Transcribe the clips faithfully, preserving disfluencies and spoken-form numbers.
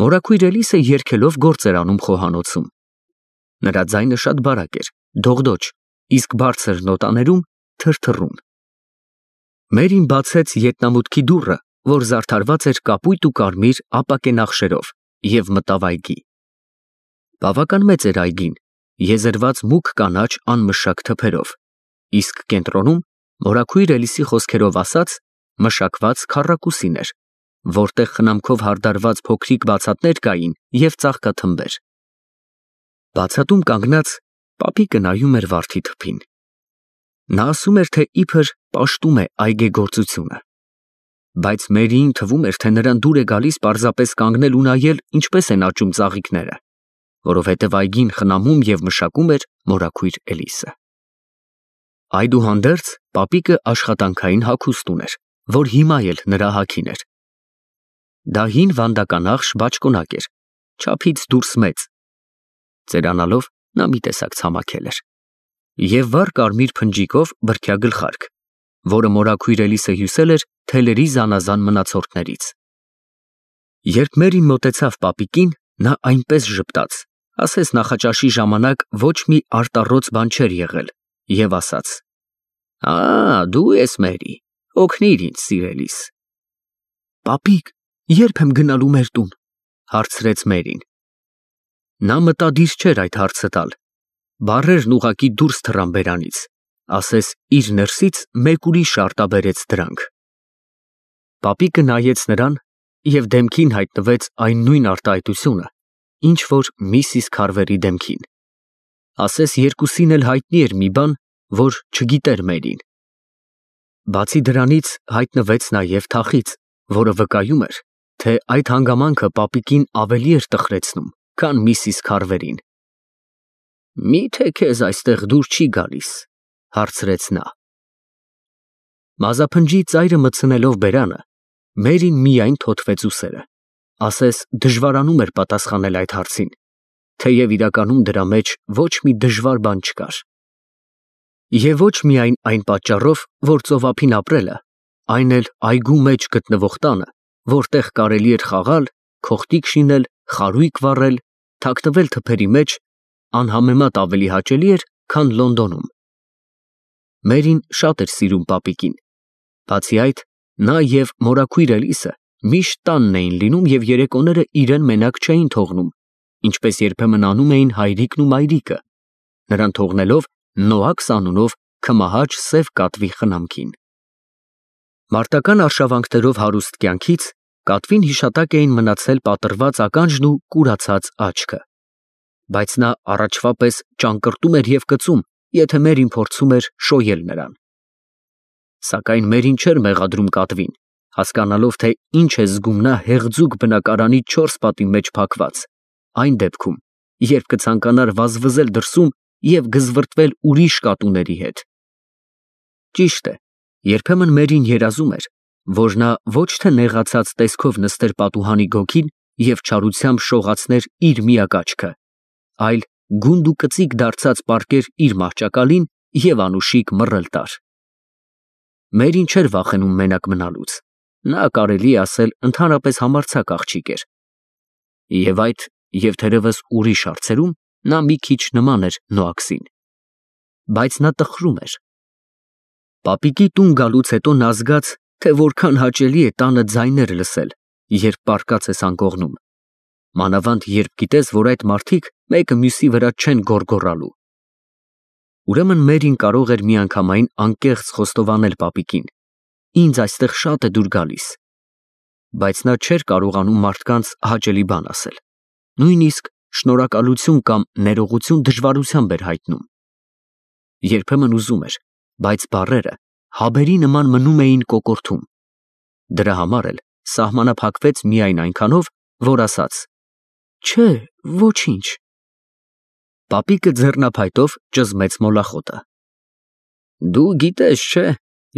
Մորաքույր Էլիսը երգելով գործ էր անում խոհանոցում։ Նրա ձայնը շատ բարակ էր, դողդոջ, իսկ բարձր նոտաներում թրթռուն։ Մերին բացեց ետնամուտքի դուռը, որ զարդարված էր կապույտ ու կարմիր ապակե նախշերով, և մտավ այգի։ Բավական մեծ էր այգին, եզերված մուգ կանաչ անմշակ թփերով, իսկ կենտրոնում, մորաքույր Էլիսի խոսքերով ասած, մշակված քառակուսին էր, որտեղ խնամքով հարդարված փոքրիկ բացատներ կային և ծաղկաթմբեր։ Բացատում կանգնած պապիկը նայում էր վարդի թփին։ Նա ասում էր, թե իբր պաշտում է այգեգործությունը, բայց Մերիին թվում էր, թե նրան դուր է գալիս պարզապես կանգնել ու նայել, ինչպես են աճում ծաղիկները, որովհետև այգին խնամում և մշակում էր մորաքույր Էլիսը։ Այդուհանդերձ պապիկը աշխատանքային հագուստ ուներ, որ հիմա էլ նրա հագին էր։ Դա հին վանդականախշ բաճկոնակ էր, չափից դուրս մեծ։ Ծերանալով նա մի տեսակ ցամաքել էր, և վառ կարմիր փնջիկով բրդյա գլխարկ, որը մորաքույր Էլիսը հյուսել էր թելերի զանազան մնացորդներից։ Երբ Մերին մոտեցավ պապիկին, նա այնպես ժպտաց, ասես նախաճաշի ժամանակ ոչ մի արտառոց բան չէր եղել, և ասաց. «Ա, դու ես Մերի, օգնիր ինձ, սիրելիս»։ Պապիկ, ե՞րբ եմ գնալու մեր տուն, հարցրեց Մերին։ Նա մտադիր չէր այդ հարցը տալ, բառերն ուղղակի դուրս թռան բերանից, ասես իր ներսից մեկ ուրիշ արտաբերեց դրանք։ Պապիկը նայեց նրան, և դեմքին հայտնվեց այն նույն արտահայտությունը, ինչ որ միսիս Քարվերի դեմքին, ասես երկուսին էլ հայտնի էր մի բան, որ չգիտեր Մերին։ Բացի դրանից հայտնվեց նաև թախիծ, որը վկայում էր, թե այդ հանգամանքը պապիկին ավելի էր տխրեցնում, քան միսիս Քարվերին։ «Մի՞թե քեզ այստեղ դուր չի գալիս», հարցրեց նա։ Մազափնջի ծայրը մտցնելով բերանը, Մերին միայն թոթվեց ուսերը, ասես դժվարանում էր պատասխանել այդ հարցին, թեև իրականում դրա մեջ ոչ մի դժվար բան չկար։ Եվ ոչ միայն այն պատճառով, որ ծովափին ապրելը, այն էլ այգու մեջ գտնվող տանը, որտեղ կարելի էր խաղալ, քոխտիկ շինել, խարույկ վառել, թաքնվել թփերի մեջ, անհամեմատ ավելի հաճելի էր, քան Լոնդոնում։ Մերին շատ էր սիրում պապիկին, բացի այդ, նա և մորաքույր Էլիսը միշտ տանն էին լինում և երեկոները իրեն մենակ չէին թողնում, ինչպես երբեմն անում էին հայրիկն ու մայրիկը, նրան թողնելով Նոաքս անունով քմահաճ սև կատվի խնամքին։ Մարտական արշավանքներով հարուստ կյանքից կատվին հիշատակ էին մնացել պատռված ականջն ու կուրացած աչքը, բայց նա առաջվա պես ճանկռտում էր և կծում, եթե Մերին փորձում էր շոյել նրան։ Սակայն Մերին չէր մեղադրում կատվին, հասկանալով, թե ինչ է զգում նա հեղձուկ բնակարանի չորս պատի մեջ փակված, այն դեպքում, երբ կցանկանար վազվզել դրսում և գզվռտվել ուրիշ կատուների հետ։ Ճիշտ է, երբեմն Մերին երազում էր, որ նա ոչ թե նեղացած տեսքով նստեր պատուհանի գոգին և չարությամբ շողացներ իր միակ աչքը, այլ գունդ ու կծիկ դարձած պառկեր իր մահճակալին և անուշիկ մռըլ տար։ Մերին չէր վախենում մենակ մնալուց, նա, կարելի է ասել, ընդհանրապես համարձակ աղջիկ էր։ Եվ այդ, և թերևս ուրիշ հարցերում նա մի քիչ նման էր Նոաքսին, բայց նա տխրում էր։ Պապիկի տուն գալուց հետո նա զգաց, թե որքան հաճելի է տանը ձայներ լսել, երբ պառկած ես անկողնում, մանավանդ երբ գիտես, որ այդ մարդիկ մեկը մյուսի վրա չեն գոռգոռալու։ Ուրեմն Մերին կարող էր միանգամայն անկեղծ խոստովանել պապիկին. «Ինձ այստեղ շատ է դուր գալիս», բայց նա չէր կարողանում մարդկանց հաճելի բան ասել, նույնիսկ շնորհակալություն կամ ներողություն դժվարությամբ էր հայտնում։ Երբեմն ուզում էր, բայց բառերը հաբերի նման մնում էին կոկորդում։ Դրա համար էլ սահմանափակվեց միայն այնքանով, որ ասաց. «Չէ, ոչինչ»։ Պապիկը ձեռնափայտով ճզմեց մոլախոտը։ «Դու գիտես, չէ՞,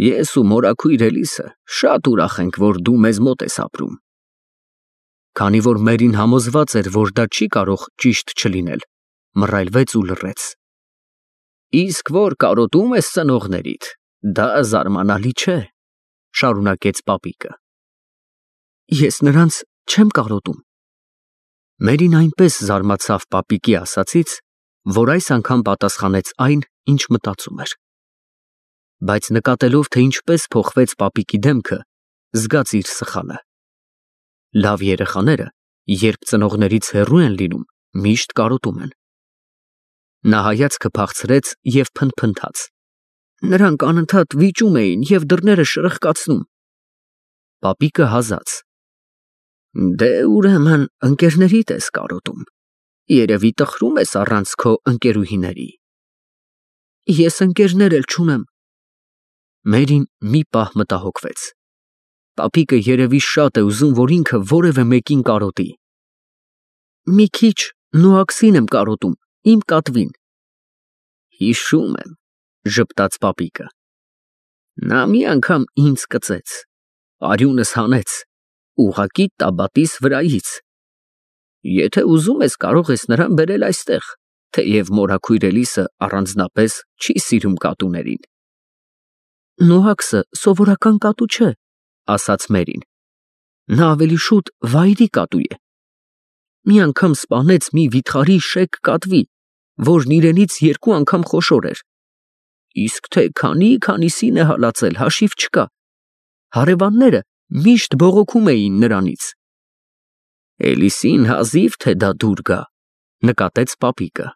ես ու մորաքույր Էլիսը շատ ուրախ ենք, որ դու մեզ մոտ ես ապրում»։ Քանի որ Մերին համոզված էր, որ դա չի կարող ճիշտ չլինել, մռայլվեց ու լռեց։ «Իսկ որ կարոտում ես ծնողներիդ, դա զարմանալի չէ», շարունակեց պապիկը։ «Ես նրանց չեմ կարոտում, Մերին այնպես զարմացավ պապիկի ասածից, որ այս անգամ պատասխանեց այն, ինչ մտածում էր։ Բայց նկատելով, թե ինչպես փոխվեց պապիկի դեմքը, զգաց իր սխալը։ Լավ երեխաները, երբ ծնողներից հեռու են լինում, միշտ կարոտում են։ Նա հայացքը փախցրեց և փնթփնթաց. նրանք անընդհատ վիճում էին և դռները շրխկացնում։ Պապիկը հազաց. դե ուրեմն ընկերներիդ ես կարոտում, երևի տխրում ես առանց քո ընկերուհիների։ Ես ընկերներ էլ չունեմ։ Մերին մի պահ մտահոգվեց։ Պապիկը երևի շատ է ուզում, որ ինքը որևէ մեկին կարոտի։ Մի քիչ Նոաքսին եմ կարոտում, իմ կատվին։ Հիշում եմ, ժպտաց պապիկը։ Նա մի անգամ ինձ կծեց, արյունս հանեց, ուղղակի տաբատիս վրայից։ Եթե ուզում ես, կարող ես նրան բերել այստեղ, թեև մորաքույր Էլիսը առանձնապես չի սիրում կատուներին։ Նոաքսը սովորական կատու չէ, ասաց Մերին։ Նա ավելի շուտ վայրի կատու է։ Մի անգամ սպանեց մի վիթխարի շեկ կատվի, որն իրենից երկու անգամ խոշոր էր։ Իսկ թե քանի-քանիսին է հալածել, հաշիվ չկա։ Հարևանները միշտ բողոքում էին նրանից։ Էլիսին հազիվ թե դա դուր գա, նկատեց պապիկը։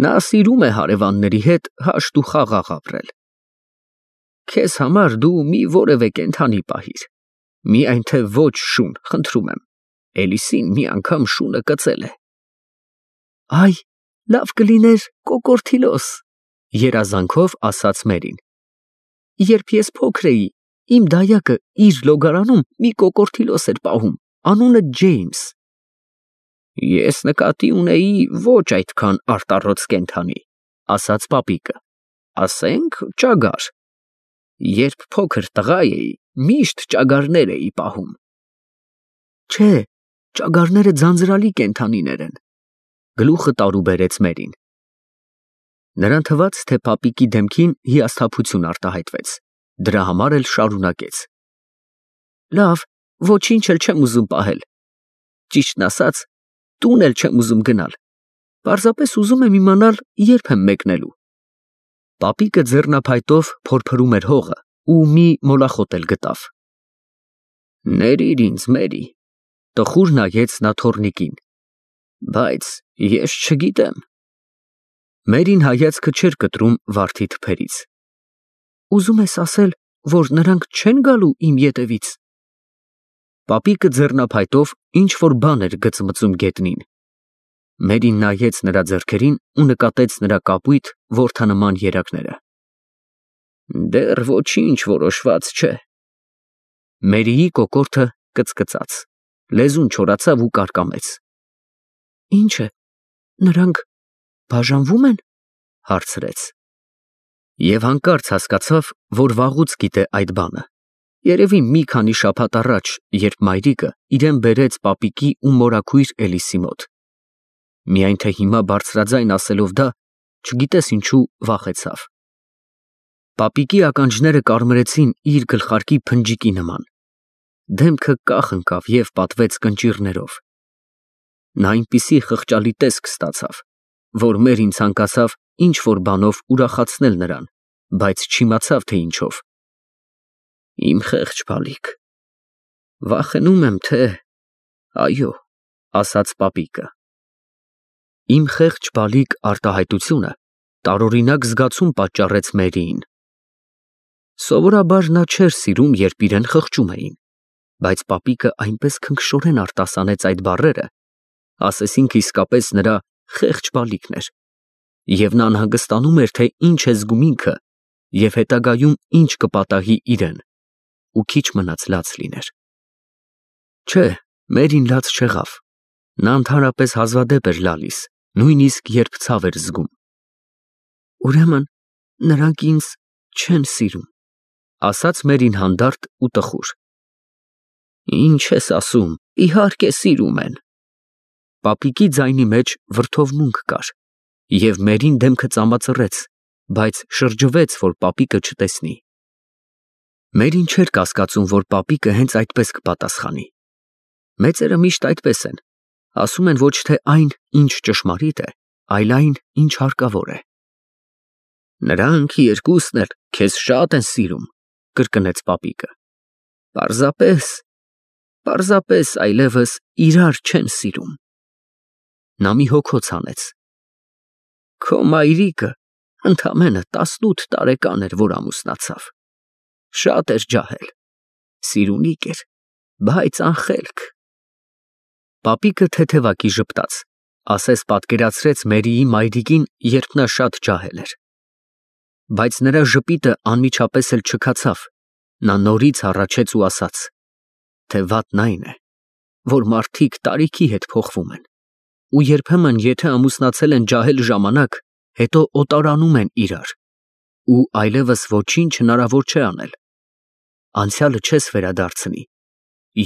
Նա սիրում է հարևանների հետ հաշտ ու խաղաղ ապրել։ Քեզ համար դու մի որևէ կենդանի պահիր, միայն թե ոչ շուն, խնդրում եմ։ Էլիսին մի անգամ շունը կծել է։ Այ, լավ կլիներ կոկորդիլոս, երազանքով ասաց Մերին։ Երբ ես փոքր էի, իմ դայակը իր լոգարանում մի կոկորդիլոս էր պահում, անունը Ջեյմս։ Ես նկատի ունեի ոչ այդքան արտառոց կենդանի, ասաց պապիկը, ասենք ճագար։ Երբ փոքր տղա էի, միշտ ճագարներ էի պահում։ Չէ, ճագարները ձանձրալի կենդանիներ են, գլուխը տարուբերեց Մերին։ Նրան թվաց, թե պապիկի դեմքին հիասթափություն արտահայտվեց, դրա համար էլ շարունակեց. Լավ, ոչինչ էլ չեմ ուզում պահել։ Ճիշտն ասած, տուն էլ չեմ ուզում գնալ։ Պարզապես ուզում եմ իմանալ, երբ եմ մեկնելու։ Պապիկը ձեռնափայտով փորփրում էր հողը ու մի մոլախոտ էլ գտավ։ Ներիր ինձ, Մերի, տխուր նայեց նա թոռնիկին, բայց ես չգիտեմ։ Մերին հայացքը չէր կտրում վարդի թփերից։ Ուզում ես ասել, որ նրանք չեն գալու իմ ետևից։ Պապիկը ձեռնափայտով ինչ-որ բան էր գծմծում գետնին։ Մերին նայեց նրա ձեռքերին ու նկատեց նրա կապույտ որդանման երակները։ Դեռ ոչինչ որոշված չէ։ Մերիի կոկորդը կծկծաց, լեզուն չորացավ ու կարկամեց։ Ինչ է, նրանք բաժանվում են, հարցրեց։ Եվ հանկարծ հասկացավ, որ վաղուց գիտե այդ բանը։ Երևի մի քանի շաբաթ առաջ, երբ մայրիկը իրեն բերեց պապիկի ու մորաքույր Էլիսի մոտ։ Միայն թե հիմա բարձրաձայն ասելով դա, չգիտես ինչու վախեցավ։ Պապիկի ականջները կարմրեցին իր գլխարկի փնջիկի նման։ Դեմքը կախ ընկավ և պատվեց կնճիռներով։ Նա այնպիսի խղճալի տեսք ստացավ, որ Մերին ցանկացավ ինչ-որ բանով ուրախացնել նրան, բայց չիմացավ, թե ինչով։ Իմ խեղճ բալիկ, վախենում եմ, թե… Այո, ասաց պապիկը։ Իմ խեղճ բալիկ արտահայտությունը տարօրինակ զգացում պատճառեց Մերիին։ Սովորաբար նա չէր սիրում, երբ իրեն խղճում էին, բայց պապիկը այնպես քնքշորեն արտասանեց այդ բառերը, ասեսինք իսկապես նրա խեղճ բալիկն էր, և նա անհանգստանում էր, թե ինչ է զգում ինքը և հետագայում ինչ կպատահի իրեն, ու քիչ մնաց լաց լիներ։ Չէ, Մերին լաց չեղավ, նա ընդհանրապես հազվադեպ էր լալիս, նույնիսկ երբ ցավ էր զգում։ Ուրեմն նրանք ինձ չեն սիրում, ասաց Մերին հանդարտ ու տխուր։ Ինչ ես ասում, իհարկե սիրում են։ Պապիկի ձայնի մեջ վրդովմունք կար, և Մերին դեմքը ծամածռեց, բայց շրջվեց, որ պապիկը չտեսնի։ Մերին չէր կասկածում, որ պապիկը հենց այդպես կպատասխանի։ Մեծերը միշտ այդպես են, Ասում են ոչ թե այն, ինչ ճշմարիտ է, այլ այն, ինչ հարկավոր է։ Նրանք երկուսն էլ քեզ շատ են սիրում, կրկնեց պապիկը։ Պարզապես, պարզապես այլևս իրար չեն սիրում։ Նա մի հոգոց հանեց։ Քո մայրիկը ընդամենը տասնութ տարեկան էր, որ ամուսնացավ։ Շատ էր ջահել, սիրունիկ էր, բայց անխելք։ Պապիկը թեթևակի ժպտաց, ասես պատկերացրեց Մերիի մայրիկին, երբ նա շատ ջահել էր։ Բայց նրա ժպիտը անմիջապես էլ չքացավ, նա նորից հառաչեց ու ասաց, թե վատն այն է, որ մարդիկ տարիքի հետ փոխվում են, ու երբեմն եթե ամուսնացել են ջահել ժամանակ, հետո օտարանում են իրար, ու այլևս ոչինչ հնարավոր չէ անել։ Անցյալը չես վերադարձնի,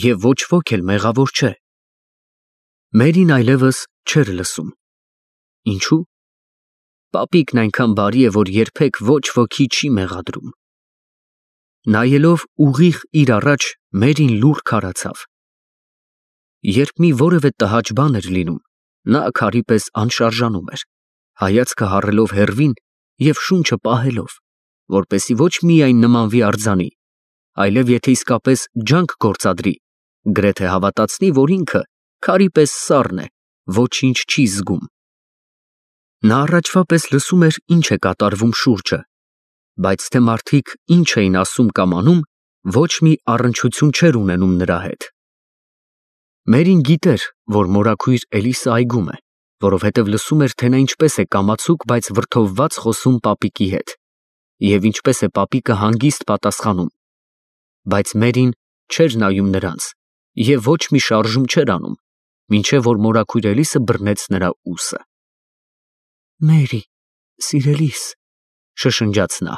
և ոչ ոք էլ մեղավոր չէ։ Մերին այլևս չէր լսում։ Ինչու՞։ Պապիկն այնքան բարի է, որ երբեք ոչ ոքի չի մեղադրում։ Նայելով ուղիղ իր առաջ, Մերին լուռ քարացավ։ Երբ մի որևէ տհաճ բան էր լինում, նա քարի պես անշարժանում էր, հայացքը հառելով հեռվին և շունչը պահելով, որպեսզի ոչ միայն նմանվի արձանի, այլև եթե իսկապես ջանք գործադրի, գրեթե հավատացնի, որ ինքը քարի պես սառն է, ոչինչ չի զգում։ Նա առաջվա պես լսում էր, ինչ է կատարվում շուրջը, բայց թե մարդիկ ինչ էին ասում կամ անում, ոչ մի առնչություն չէր ունենում նրա հետ։ Մերին գիտեր, որ մորաքույր Էլիսը այգում է, որովհետև լսում էր, թե նա ինչպես է կամացուկ, բայց վրդովված խոսում պապիկի հետ, և ինչպես է պապիկը հանգիստ պատասխանում, բայց Մերին չէր նայում նրանց և ոչ մի շարժում չէր անում, մինչև որ մորաքույր Էլիսը բռնեց նրա ուսը։ Մերի, սիրելիս, շշնջաց նա։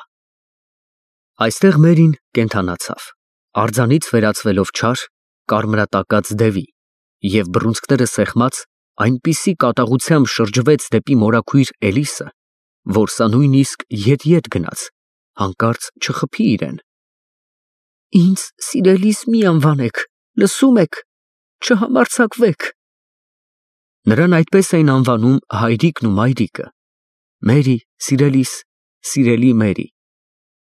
Այստեղ Մերին կենդանացավ, արձանից վերածվելով չար, կարմրատակած դևի, և բռունցքները սեղմած, այնպիսի կատաղությամբ շրջվեց դեպի մորաքույր Էլիսը, որ սա նույնիսկ ետ-ետ գնաց, հանկարծ չխփի իրեն։ Ինձ սիրելիս մի անվանեք, լսում եք, չհամարձակվեք։ Նրան այդպես էին անվանում հայրիկն ու մայրիկը։ Մերի, սիրելիս, սիրելի Մերի,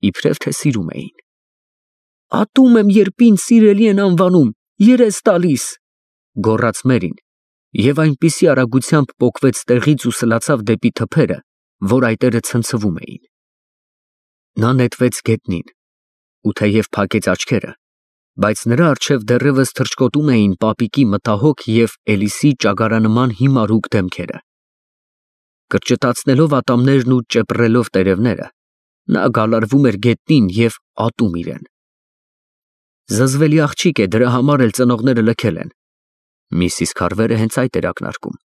իբրև թե սիրում էին։ Ատում եմ, երբ ինձ սիրելի են անվանում, երես տալիս, գոռաց Մերին, և այնպիսի արագությամբ պոկվեց տեղից ու սլացավ դեպի թփերը, որ այտերը ցնցվում էին։ Նա նետվեց գետնին, ու թեև փակեց աչքերը, բայց նրա առջև դեռևս թռչկոտում էին պապիկի մտահոգ և Էլիսի ճագարանման հիմարուկ դեմքերը։ Կրճտացնելով ատամներն ու ճեպռելով տերևները, նա գալարվում էր գետնին և ատում իրեն։ Զզվելի աղջիկ է, դրա համար էլ ծնողները լքել են։ Միսիս Քարվերը հենց այդ էր ակնարկում։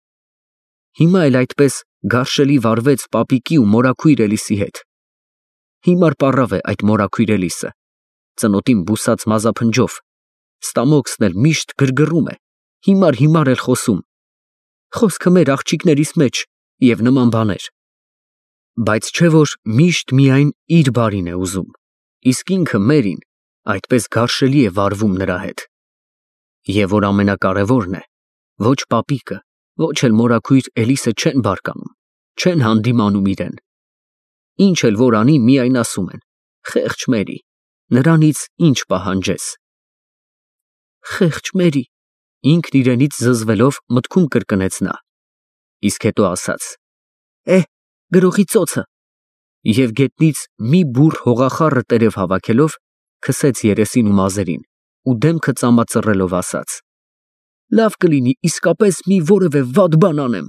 Հիմա էլ այդպես գարշելի վարվեց պապիկի ու մորաքույր Էլիսի հետ։ Հիմար պառավ է այդ մորաքույր Էլիսը, ծնոտին բուսած մազափնջով, ստամոքսն էլ միշտ գրգռում է, հիմար-հիմար էլ խոսում, խոսքը մեր աղջիկներիս մեջ և նման բաներ։ Բայց չէ որ միշտ միայն իր բարին է ուզում, իսկ ինքը Մերին այդպես գարշելի է վարվում նրա հետ։ Եվ որ ամենակարևորն է, ոչ պապիկը, ոչ էլ մորաքույր Էլիսը չեն բարկանում, չեն հանդիմանում իրեն։ Ինչ էլ որ անի, միայն ասում են. խեղճ Մերի, նրանից ինչ պահանջես։ Խեղճ Մերի, ինքն իրենից զզվելով մտքում կրկնեց նա, իսկ հետո ասաց. Է, գրողի ծոցը, և գետնից մի բուռ հողախառը տերև հավաքելով, քսեց երեսին ու մազերին, ու դեմքը ծամածռելով ասաց. լավ կլինի իսկապես մի որևէ վատ բան անեմ,